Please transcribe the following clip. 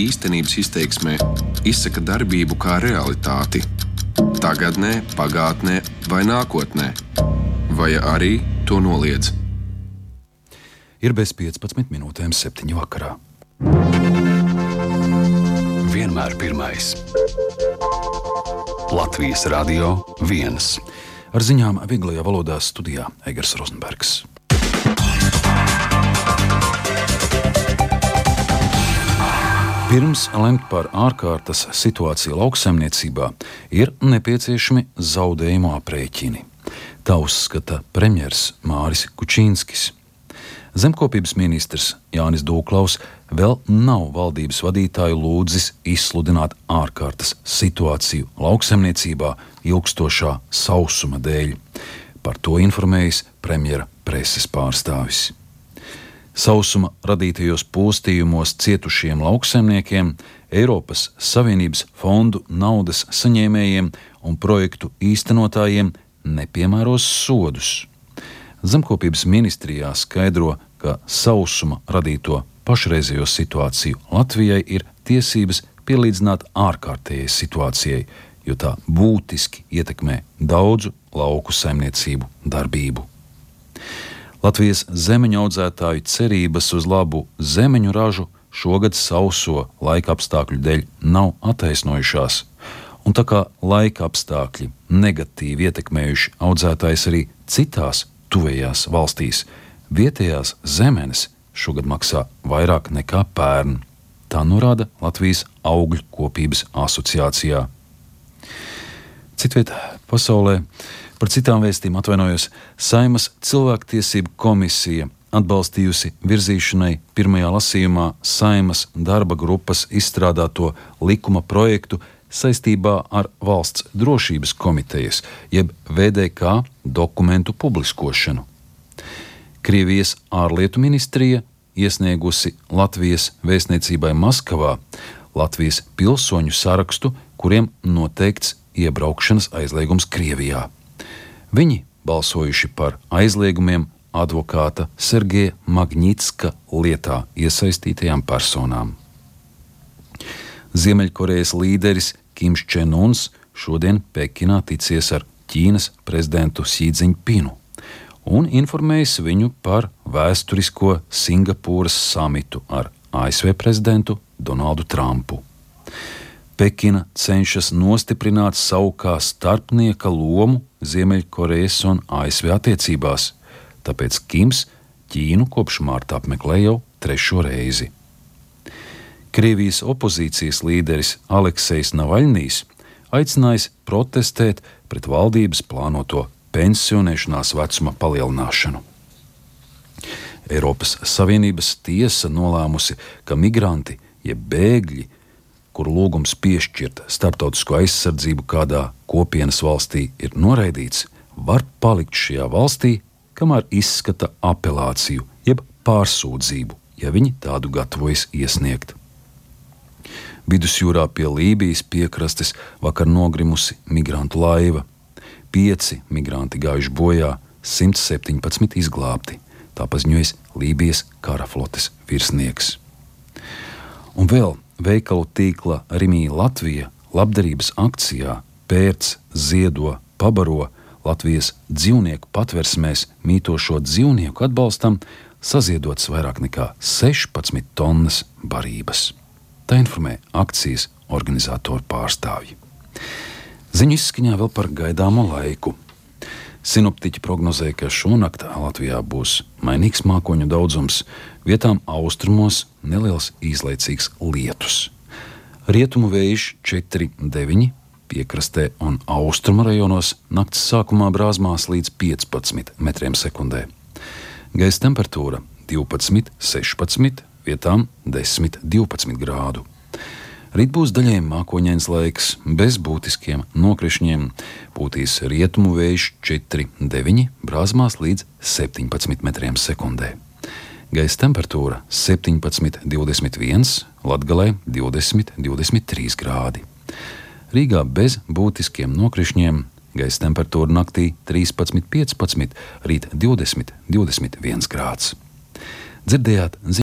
īstenības izteiksmē izsaka darbību kā realitāti – tagadnē, pagātnē vai nākotnē, vai arī to noliedz. Ir bez 15 minūtēm 7 vakarā. Vienmēr pirmais. Latvijas Radio 1. Ar ziņām vieglajā valodā studijā Egers Rozenbergs. Pirms lemt par ārkārtas situāciju lauksaimniecībā ir nepieciešami zaudējumu aprēķini. Tā uzskata premjers Māris Kučīnskis. Zemkopības ministrs Jānis Dūklaus vēl nav valdības vadītāju lūdzis izsludināt ārkārtas situāciju lauksaimniecībā ilgstošā sausuma dēļ. Par to informējis premjera preses pārstāvis. Sausuma radītajos postījumos cietušiem lauksaimniekiem, Eiropas Savienības fondu naudas saņēmējiem un projektu īstenotājiem nepiemēros sodus. Zemkopības ministrijā skaidro, ka sausuma radīto pašreizējo situāciju Latvijai ir tiesības pielīdzināt ārkārtējai situācijai, jo tā būtiski ietekmē daudzu lauku saimniecību darbību. Latvijas zemeņu audzētāju cerības uz labu zemeņu ražu šogad sauso laika apstākļu dēļ nav attaisnojušās, un tā kā laika apstākļi negatīvi ietekmējuši audzētājs arī citās tuvējās valstīs, vietējās zemenes šogad maksā vairāk nekā pērn. Tā norāda Latvijas augļu kopības asociācijā. Citviet pasaulē par citām vēstīm atvainojos, Saeimas cilvēktiesību komisija atbalstījusi virzīšanai pirmajā lasījumā Saeimas darba grupas izstrādāto likuma projektu saistībā ar Valsts drošības komitejas, jeb VDK dokumentu publiskošanu. Krievijas ārlietu ministrija iesniegusi Latvijas vēstniecībai Maskavā Latvijas pilsoņu sarakstu, kuriem noteikts iebraukšanas aizliegums Krievijā. Viņi balsojuši par aizliegumiem advokāta Sergeja Magnitska lietā iesaistītajām personām. Ziemeļkorejas līderis Kims Čen Uns šodien Pekinā ticies ar Ķīnas prezidentu Xi Džiņpinu un informējis viņu par vēsturisko Singapūras samitu ar ASV prezidentu Donaldu Trumpu. Pekina cenšas nostiprināt savu kā starpnieka lomu Ziemeļkorejas un ASV attiecībās, tāpēc Kims Ķīnu kopš marta apmeklē jau 3. reizi. Krievijas opozīcijas līderis Aleksejs Navaļnijs aicinājis protestēt pret valdības plānoto pensionēšanās vecuma palielināšanu. Eiropas Savienības tiesa nolēmusi, ka migranti, jeb bēgļi, kuru lūgums piešķirt starptautisko aizsardzību kādā kopienas valstī ir noraidīts, var palikt šajā valstī, kamēr izskata apelāciju, jeb pārsūdzību, ja viņi tādu gatavojas iesniegt. Vidusjūrā pie Lībijas piekrastes vakar nogrimusi migrantu laiva. 5 migranti gājuši bojā, 117 izglābti, tā paziņojas Lībijas karaflotes virsnieks. Un vēl veikalu tīkla Rimī Latvija labdarības akcijā Pērc, ziedo, pabaro Latvijas dzīvnieku patversmēs mītošo dzīvnieku atbalstam saziedots vairāk nekā 16 tonnas barības. Tā informē akcijas organizatoru pārstāvji. Ziņu izskaņā vēl par gaidāmo laiku. Sinoptiķi prognozē, ka šonakt Latvijā būs mainīgs mākoņu daudzums, vietām austrumos neliels īslaicīgs lietus. Rietumu vējš 4,9, piekrastē un austrumu rajonos nakts sākumā brāzmās līdz 15 metriem sekundē. Gaisa temperatūra 12, 16, vietām 10, 12 grādu. Rīt būs daļēji mākoņains laiks, bez būtiskiem nokrišņiem, pūtīs rietumu vējš 4,9, brāzmās līdz 17 metriem sekundē. Gaisa temperatūra 17, 21, Latgalē 20, 23 grādi. Rīgā bez būtiskiem nokrišņiem, gaisa temperatūra naktī 13, 15, rīt 20, 21 grāds. Dzirdējāt